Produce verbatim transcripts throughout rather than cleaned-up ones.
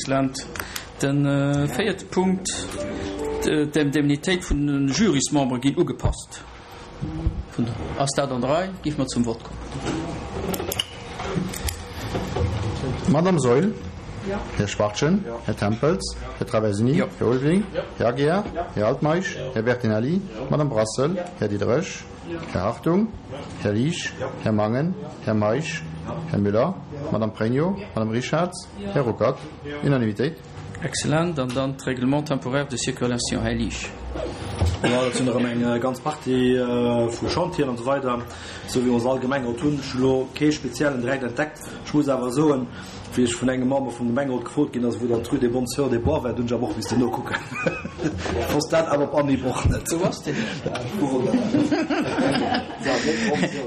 Excellent. De véierte Punkt, d'Indemnitéit vun de Jurysmembere ginn ugepasst. Ass dat an der Rei? Géife mer zum Vott kommen. Madamm Saeul? Här Schwachtgen? Här Tempels? Här Traversini? Här Ulveling? Här Aguiar? Här Altmeisch? Här Bertinelli? Madamm Brassel? Här Diderich? Här Hartung? Här Liesch? Här Mangen? Här Meisch? Här Müller? Madamm Pregno? Madamm Richarz? Här Ruckert? Unanimitéit. Excellent. An dann d'Règlement temporaire de circulation, Här Liesch. Jo, dat sinn erëm eng ganz Partie vu Chantieren an esou weider, esou wéi ons all Gemengerot hunn. Ech hu lo kee speziellen direkt entdeckt. Ech muss awer soen, wéi ech vun engem Member vum Gemengerot gefrot ginn ass, wou dann d'Rue des Bonnes Sœurs des Bois war, dunn ech awer och missten nokucken. Ech wosst dat awer op Anhieb och net. Wou ass deen?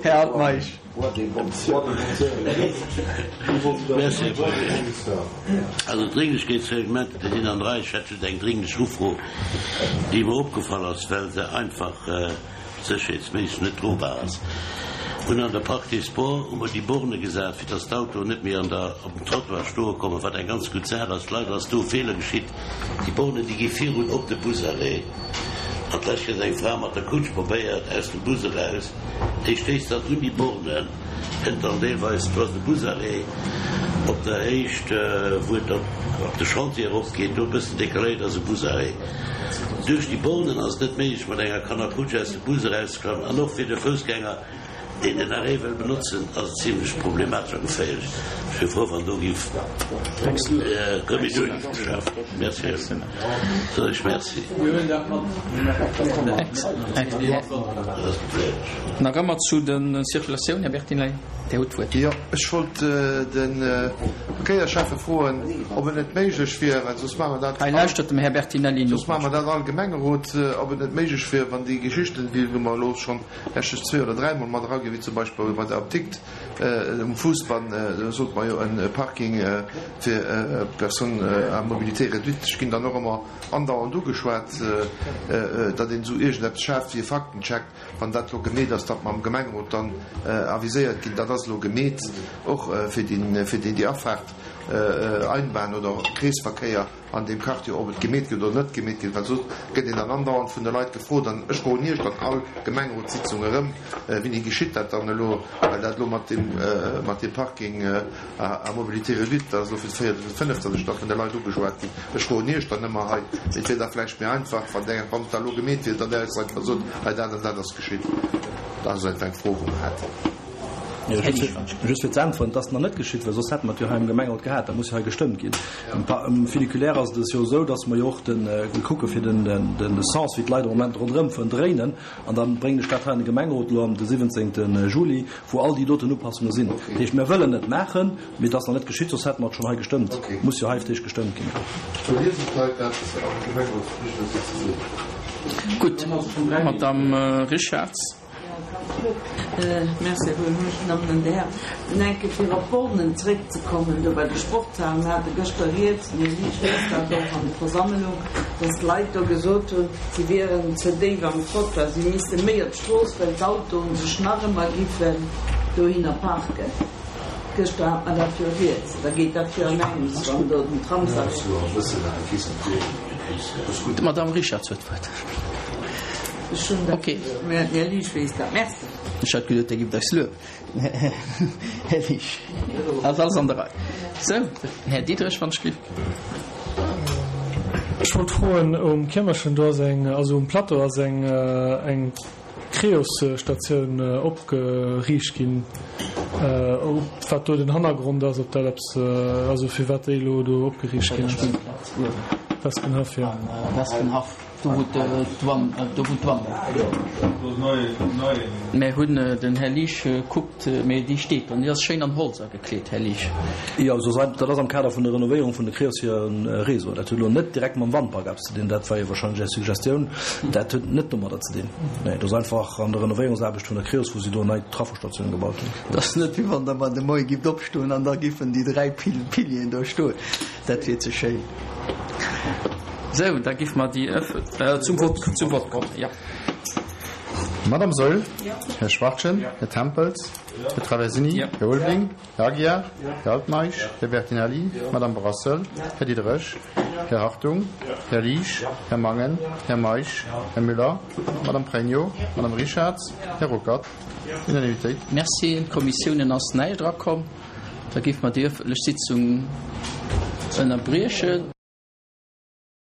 Här Altmeisch. Merci. Also d'Drénglechkeetsreglementer, déi sinn an der Rei. Ech hätt just eng drénglech Ufro, déi mer opgefall ass, well se einfach sécherheetsméisseg net drobar ass. Hunn an der Parc des Sports hu mer déi Borne gesat, fir dass d'Autoen net méi an der, op dem Trottoir stoe kommen, wat eng ganz gutt Saach ass. Leider ass do e Feeler geschitt. Déi Bornen, déi gi virun op de Busarrêt. An d'lescht huet eng Fra mat der Kutsch probéiert, aus dem Bus eraus. Déi stéisst dann un déi Borne, kënnt dann deelweis, do ass de Busarrêt op der Héicht, wou et op de Chantier eropgeet, do e bëssen decaléiert ass e Busarrêt. Duerch déi Bornen ass et net méiglech, mat enger Kannerkutsch aus dem Bus erauszekommen an och fir de Foussgänger, Deen den Arrêt wëll benotzen, ass et zimlech problematesch a geféierlech. Ech wier frou, wann do giff Remeduerung geschaf ginn. Merci, Här Soen ech Merci. Nach ëmmer zu de Circulatioun, Här Bertinelli, Dir hutt d'Wuert. Jo, ech wollt de Verkéierschäffe froen, ob et net méiglech wier, well soss maache mer dat Hei lauschtert dem Här Bertinelli no. Soss maache mer dat all Gemengerot, ob et net méiglech wier, wann déi Geschichten, déi mer elo schonn Ech zwee oder dräi Mol mat eraginn, wéi zum Beispill bei der Apdikt um Fousbann, do sot mer jo e Parking fir Personnes à mobilité réduite. Ech ginn dann och ëmmer andauernd ugeschwat, datt een esou iergendeppes schaaft wéi e Faktencheck, wann dat elo gemeet ass, datt mer am Gemengerot dann aviséiert ginn, dat ass elo gemeet, och fir déi Afaart Einbahn oder Kreesverkéier. an deem Quartier, ob et gemeet gëtt oder net gemeet gëtt, well soss gëtt een dann andauernd vun de Leit gefrot, an ech froen Iech dann all Gemengerotssitzung erëm, Wéini geschitt dat dann elo, well dat elo mat deem, mat deem Parking à mobilité réduite, dat ass elo fir d'véiert oder fir d'fënneft, datt ech da vun de Leit ugeschwat ginn. Ech froen Iech dann ëmmer hei, mee et wier da vläicht méi einfach, wann Der, wann et da elo gemeet wier, datt Der eis einfach sot, hei dat an dat ass geschitt. Dat ass einfach eng Fro, wou mer haten. Just fir ze äntweren, Et ass nach net geschitt, well soss hätte mer et jo hei am Gemengerot gehat. Dat muss jo hei gestëmmt ginn. Um Funiculaire ass et jo esou, datt mer jo och de kucke fir de Sens, wéi d'Leit am Moment ronderëm fueren, dréinen. An da bréngen ech dat hei an de Gemengerot elo am de siwwenzéngte Juli, wou all déi doten Upassunge sinn. Dat heescht, mir wëllen et maachen, mee et ass nach net geschitt, soss hätte mer et schonn hei gestëmmt. Et muss jo hei fir d'éischt gestëmmt ginn. Gutt, Madamm Richarz. Merci, Här Buergermeeschter. Här Nenke, fir op d'Bornen zréckzekommen, do bei de Sportshalen, mir hate gëschter rieds, mir si, ech weess dat och an de Versammlung, dass d'Leit do gesot hunn, si wieren ze déif am Trottoir, si misste méi op d'Strooss, well d'Autoen sech nach ëmmer giffen dohinner parken. Gëschter hat mer dat jo rieds. Da geet dat jo an engems, wann do den Tramsarrêt. D'Madame Richarz huet d'Wuert. Ech hunn dat, mä den Här Liesch weess dat. Merci. Ech hat geduet, Dir gift eis luewen, Här Liesch. Ass alles an der Rei. Sou, den Här Diderich, wann ech giff. Ech wollt froen, um Kiermerchen do ass eng, also um Plateau ass eng, eng Creos-Statioun opgeriicht ginn, ob wat do den Hannergrond ass, ob dat eppes, also firwat déi elo do opgeriicht ginn ass. Wespenhaff, jo. Wespenhaff. Do wou d'Douane, do wou d'Douane ass. Mär hunn, den Här Liesch kuckt, mee déi steet dann, déi ass schéin an Holz agekleet, Här Liesch. Jo, also dat ass am Kader vun der Renovéierung vun de Creos hire Réseau. Dat huet elo net direkt mam Wandpark eppes ze dinn, dat war jo wahrscheinlech Är Suggestioun. Dat huet net domadder ze dinn. Nee, dat ass einfach an der Renovéierungsaarbecht vun der Creos, wou si do nei Trafosstatioune gebaut hunn. Et ass net, wéi wann Der mar de Moie gifft opstoen an da giffen déi dräi Pilieren do stoen. Dat wier ze schéin. Sou, da giffe mer déi zum Vott, zum Vott kommen, jo. Madame Saeul, Här Schwachtgen, Här Tempels, Här Traversini. Här Ulveling. Här Aguiar. Här Altmeisch. Här Bertinelli. Madame Brassel. Här Diderich. Här Hartung. Här Liesch. Här Mangen. Här Meisch. Här Müller. Madame Pregno. Madame Richarz. Här Ruckert. Unanimitéit. Merci. In d'Kommissiounen ass näischt erakomm. Da géife mer déi ëffentlech Sitzung ënnerbriechen.